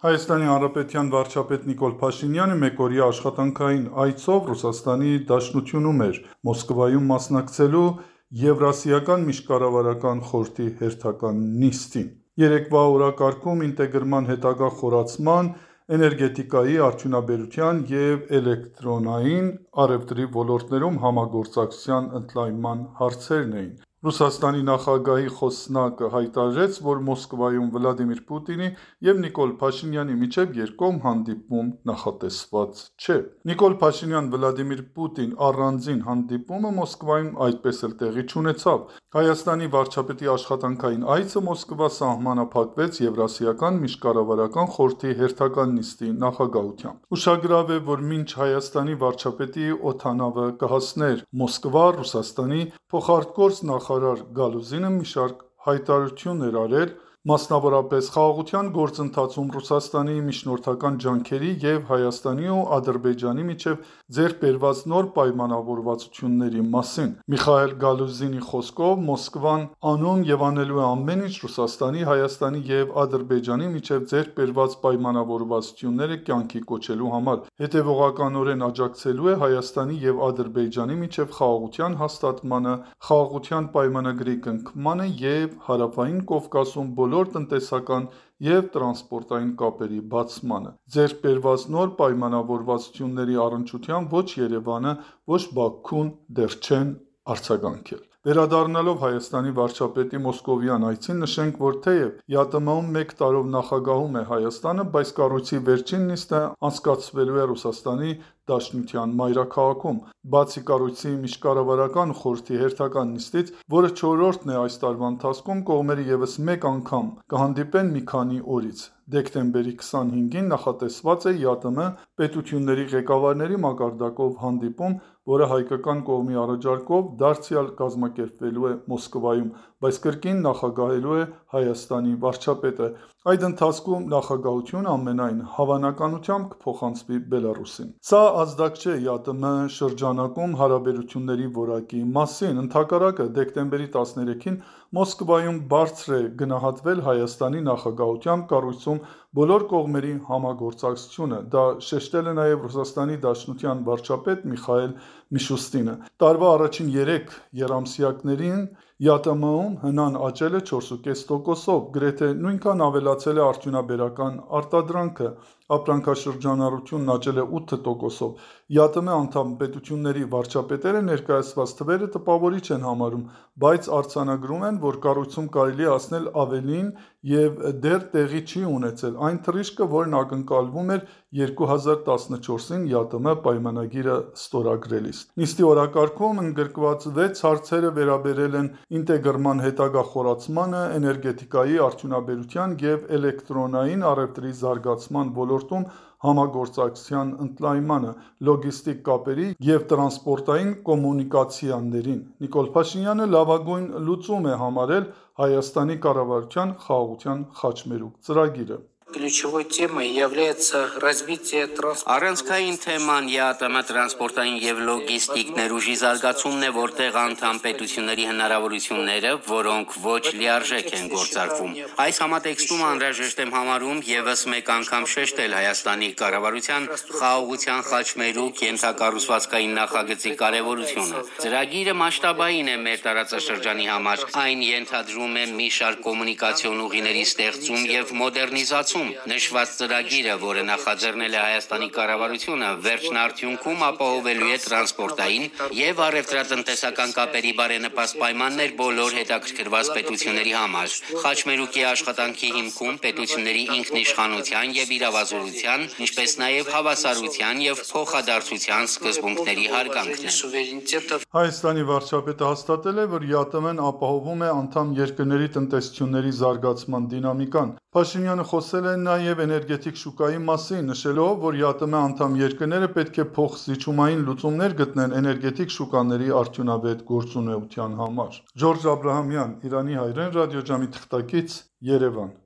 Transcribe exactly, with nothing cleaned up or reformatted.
Հայաստանի Հանրապետության վարչապետ Նիկոլ Փաշինյանը մեկօրյա աշխատանքային այցով Ռուսաստանի Դաշնությունում էր, Մոսկվայում մասնակցելու Եվրասիական միջկառավարական խորհրդի հերթական նիստին։ Երեկվա օրակարգում ինտեգրման հետագա խորացման, էներգետիկայի, արդյունաբերության և էլեկտրոնային առևտրի ոլորտներում համագործակցության ընդլայնման հարցերն էին։ Ռուսաստանի նախագահի խոսնակը հայտարարեց, որ Մոսկվայում Վլադիմիր Պուտինի և Նիկոլ Փաշինյանի միջև երկկողմ հանդիպում նախատեսված չէ։ Նիկոլ Փաշինյան-Վլադիմիր Պուտին առանձին հանդիպումը Մոսկվայում այդպես էլ տեղի չունեցավ։ Հայաստանի վարչապետի աշխատանքային այցը Մոսկվա սահմանափակվեց Եվրասիական միջկառավարական խորհրդի հերթական նիստի նախագահությամբ։ Ուշագրավ է, որ մինչ Հայաստանի վարչապետի օդանավը կհասներ Մոսկվա, Ռուսաստանի փոխարտգործ նախարար Գալուզինը մի շարք հայտարարություններ էր արել, մասնավորապես խաղաղության գործընթացում Ռուսաստանի միջնորդական ջանքերի և Հայաստանի ու Ադրբեջանի միջև ձեռք բերված նոր պայմանավորվածությունների մասին։ Միխայիլ Գալուզինի խոսքով Մոսկվան անում և անելու է ամեն ինչ Ռուսաստանի, Հայաստանի և Ադրբեջանի միջև ձեռք բերված պայմանավորվածությունները կյանքի կոչելու համար, հետևողականորեն աջակցելու է Հայաստանի և Ադրբեջանի միջև խաղաղության հաստատմանը, խաղաղության պայմանագրի կնքմանը և Հարավային Կովկասում բոլոր տնտեսական և տրանսպորտային կապերի բացմանը։ Ձեռք բերված նոր պայմանավորվածությունների առնչությամբ ոչ Երևանը, ոչ Բաքուն դեռ չեն արձագանքել։ Վերադառնալով Հայաստանի վարչապետի մոսկովյան այցին, նշենք, որ թեև ԵԱՏՄ-ում մեկ տարով նախագահում է Հայաստանը, բայց կառույցի վերջին նիստը անցկացվելու է Ռուսաստանի Դաշնության մայրաքաղաքում։ Բացի կառույցի միջկառավարական խորհրդի հերթական նիստից, որը չորրորդն է այս տարվա ընթացքում, կողմերը ևս մեկ անգամ կհանդիպեն մի քանի օրից։ Դեկտեմբերի քսանհինգին նախատեսված է ԵԱՏՄ պետությունների ղեկավարների մակարդակով հանդիպում, որը հայկական կողմի առաջարկով դարձյալ կազմակերպվելու է Մոսկվայում, բայց կրկին նախագահելու է Հայաստանի վարչապետը։ Այդ ընթացքում նախագահությունը ամենայն հավանականությամբ կփոխանցվի Բելառուսին։ Սա ազդակ չէ ԵԱՏՄ շրջանակում հարաբերությունների որակի մասին։ Ընդհակառակը, դեկտեմբերի տասներեքին Մոսկվայում բարձր է գնահատվել Հայաստանի նախագահությամբ կառույցում բոլոր կողմերի համագործակցությունը։ Դա շեշտել է նաև Ռուսաստանի Դաշնության վարչապետ Միխայիլ Միշուստինը։ Տարվա առաջին երեք եռամսյակներին ԵԱՏՄ-ում հնան աճել է չորս կես տոկոսով, գրեթե նույնքան ավելացել է արդյունաբերական արտադրանքը, ապրանքաշրջանառությունն աճել է ութ տոկոսով։ ԵԱՏՄ անդամ պետությունների վարչապետերը ներկայացված թվերը տպավորիչ են համարում, բայց արձանագրում են, որ կառույցում կարելի է ասնել ավելին և դեռ տեղի չի ունեցել այն թռիչքը, որն ակնկալվում էր երկու հազար տասնչորսին ԵԱՏՄ պայմանագիրը ստորագրելիս։ Նիստի օրակարգում ընդգրկված վեց հարցերը վերաբերել են ինտեգրման հետագա խորացմանը, էներգետիկայի, արդյունաբերության և էլեկտրոնային առևտրի զարգացման ոլորտում համագործակցության ընդլայնմանը, լոգիստիկ կապերի և տրանսպորտային կոմունիկացիաներին։ Նիկոլ Փաշինյանը լավագույն լուծում է համարել Հայաստանի կառավարության խաղաղության խաչմերուկ ծրագիրը։ Առանցքային թեման ԵԱՏՄ տրանսպորտային և լոգիստիկ ներուժի զարգացումն է, որտեղ անդամ պետությունների հնարավորությունները, որոնք ոչ լիարժեք են գործարկվում։ Այս համատեքստում անհրաժեշտ եմ համարում ևս մեկ անգամ շեշտել Հայաստանի կառավարության խաղաղության խաչմերուկ ենթակառուցվածքային նախագծի կարևորությունը։ Ծրագիրը մասշտաբային է մեր տարածաշրջանի համար։ Այն ենթադրում է մի շարք կոմունիկացիոն ուղիների ստեղծում և մոդեռնիզացում։ Նշված ծրագիրը, որը նախաձեռնել է Հայաստանի կառավարությունը, վերջնարդյունքում ապահովելու է տրանսպորտային և առևտրատնտեսական կապերի բարենպաստ պայմաններ բոլոր հետաքրքրված պետությունների համար։ Խաչմերուկի աշխատանքի հիմքում պետությունների ինքնիշխանության և իրավազորության, ինչպես նաև հավասարության և փոխադարձության սկզբունքների հարգանքն է։ Հայաստանի վարչապետը հաստատել է, որ ԵԱՏՄ-ն ապահովում է անդամ երկրների տնտեսությունների զարգացման դինամիկան։ Փաշինյանը խոսել է նաև էներգետիկ շուկայի մասին, նշելով, որ ԵԱՏՄ անդամ երկրները պետք է փոխզիջումային լուծումներ գտնեն էներգետիկ շուկաների արդյունավետ գործունեության համար։ Ժորժ Աբրահամյան, Իրանի հայրեն, ռադիոժամի թղթակից, Երևան։